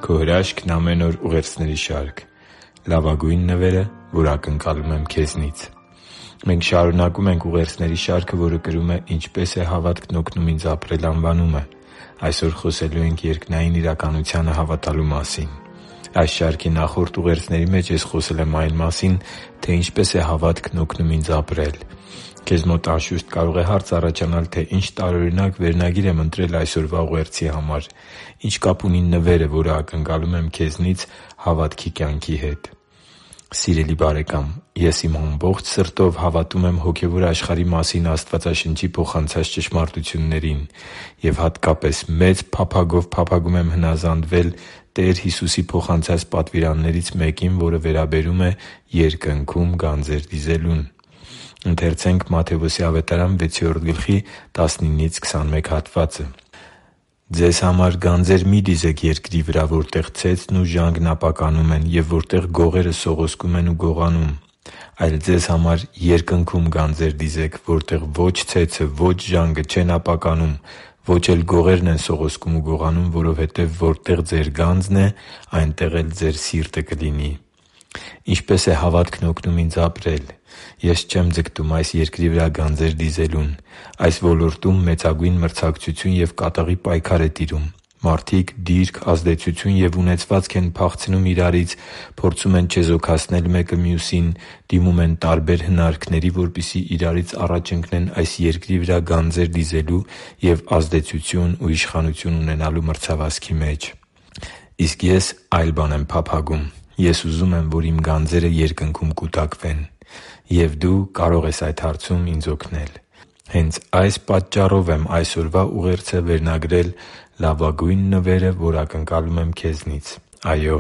Քո հրաշքն ամեն օր ուղերձների շարք։ Լավագույն նվերը, որ ակնկալում եմ քեզնից։ Մենք շարունակում ենք ուղերձների շարքը, որը կրում է «Ինչպե՞ս է հավատքն օգնում ինձ ապրել» անվանումը։ Այսօր խոսելու ենք երկնային իրականությանը հավատալու մասին։ Այս շարքի նախորդ ուղերձների մեջ ես խոսել եմ այն մասին, թե ինչպես է հավատքն օգնում ինձ ապրել։ Քեզ մոտ անշուշտ կարող է հարց առաջանալ, թե ինչ տարօրինակ վերնագիր եմ ընտրել այսօրվա ուղերձի համար։ Ինչ կապ ունի նվերը, որը ակնկալում եմ քեզնից, հավատքի կյանքի հետ։ Սիրելի՛ բարեկամ, ես իմ ամբողջ սրտով հավատում եմ հոգևոր աշխարհի մասին Աստվածաշնչի փոխանցած ճշմարտություններին և հատկապես մեծ փափագով փափագում եմ հնազանդվել Տեր Հիսուսի փոխանցած պատվիրաններից մեկին, որը վերաբերում է Երկնքում գանձեր դիզելուն։ «Ձեզ համար գանձեր մի՛ դիզեք երկրի վրա, որտեղ ցեցն ու ժանգն ապականում են և որտեղ գողերը սողոսկում են ու գողանում, այլ ձեզ համար Երկնքում գանձեր դիզեք, որտեղ ո՛չ ցեցը, ո՛չ ժանգը չեն ապականում, ո՛չ էլ գողերն են սողոսկում ու գողանում, որովհետև որտեղ ձեր գանձն է, այնտեղ էլ ձեր սիրտը կլինի» (Մատթեոս 6.15-21)։ Ինչպե՞ս է հավատքն օգնում ինձ ապրել։ Ես չեմ ձգտում այս երկրի վրա գանձեր դիզելուն։ Այս ոլորտում մեծագույն մրցակցություն և կատաղի պայքար է տիրում։ Մարդիկ դիրք, ազդեցություն և ունեցվածք են փախցնում իրարից, փորձում են չեզոքացնել մեկը մյուսին, դիմում են տարբեր հնարքների, որպեսզի իրարից առաջ ընկնեն այս երկրի վրա գանձեր դիզելու և ազդեցություն ու իշխանություն ունենալու մրցավազքի մեջ։ Իսկ ես այլ բան եմ փափագում։ Ես ուզում եմ, որ իմ գանձերը Երկնքում կուտակվեն։ Եվ դու կարող ես այդ հարցում ինձ օգնել։ Հենց այս պատճառով եմ այսօրվա ուղերձը վերնագրել «Լավագույն նվերը, որ ակնկալում եմ քեզնից»։ Այո՛,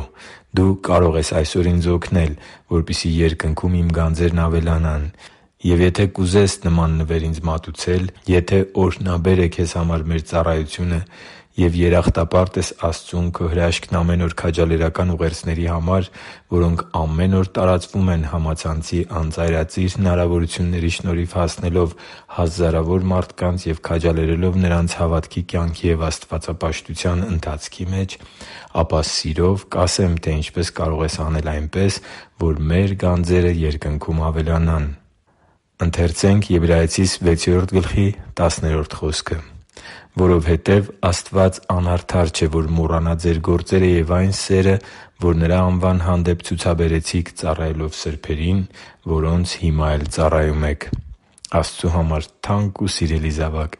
դու կարող ես այսօր ինձ օգնել, որպեսզի Երկնքում իմ գանձերն ավելանան։ Եվ եթե կուզես նման նվեր ինձ մատուցել, եթե օրհնաբեր է քեզ համար մեր ծառայությունը և երախտապարտ ես Աստծուն քո հրաշքն ամեն օր քաջալերական ուղերձների համար, որոնք ամեն օր տարածվում են համացանցի անծայրածիր հնարավորությունների շնորհիվ հասնելով հազարավոր մարդկանց և քաջալերելով նրանց հավատքի կյանքի և աստվածապաշտության ընթացքի մեջ, ապա սիրով կասեմ, թե ինչպես կարող ես անել այնպես, որ մեր գանձերը Երկնքում ավելանան։ «Որովհետև Աստված անարդար չէ, որ մոռանա ձեր գործերը և այն սերը, որ Նրա անվան հանդեպ ցուցաբերեցիք ծառայելով սրբերին, որոնց հիմա էլ ծառայում եք» (Եբրայեցիս 6.10)։ Աստծու համար թանկ ու սիրելի՛ զավակ,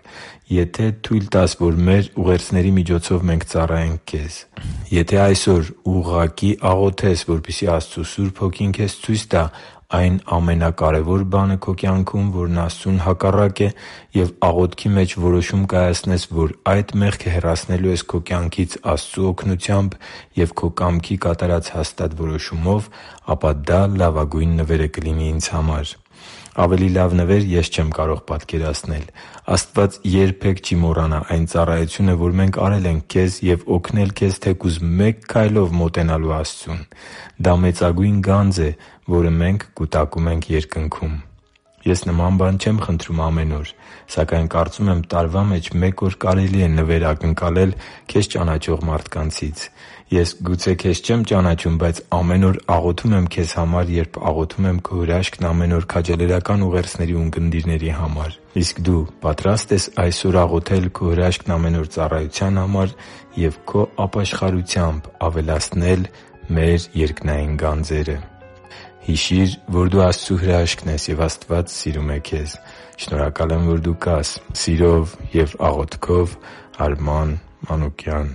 եթե թույլ տաս, որ մեր ուղերձների միջոցով մենք ծառայենք Քեզ, եթե այսօր ուղղակի աղոթես, որպեսզի Աստծու Սուրբ Հոգին քեզ ցույց տա այն ամենակարևոր բանը քո կյանքում, որն Աստծուն հակառակ է, և աղոթքի մեջ որոշում կայացնես, որ այդ մեղքը հեռացնելու ես քո կյանքից Աստծու օգնությամբ և քո կամքի կատարած հաստատ որոշումով, ապա դա լավագույն նվերը կլինի ինձ համար։ Ավելի լավ նվեր ես չեմ կարող պատկերացնել։ Աստված երբե՛ք չի մոռանա այն ծառայությունը, որ մենք արել ենք Քեզ, և օգնել Քեզ թեկուզ մեկ քայլով մոտենալու Աստծուն։ Դա մեծագույն գանձ է, որը մենք կուտակում ենք Երկնքում։ Ես նման բան չեմ խնդրում ամեն օր, սակայն կարծում եմ տարվա մեջ մեկ օր կարելի է նվեր ակնկալել քեզ ճանաչող մարդկանցից։ Ես գուցե քեզ չեմ ճանաչում, բայց ամեն օր աղոթում եմ քեզ համար, երբ աղոթում եմ քո հրաշքն ամեն օր քաջալերական ուղերձների ունկնդիրների համար։ Իսկ դու պատրա՞ստ ես այսօր աղոթել քո հրաշքն ամեն օր ծառայության համար և քո ապաշխարությամբ ավելացնել մեր երկնային գանձերը։ Հիշի՛ր, որ դու Աստծո հրաշքն ես, և Աստված սիրում է քեզ։ Շնորհակալ եմ, որ դու կա՛ս։ Սիրով և աղոթքով, Արման Մանուկյան։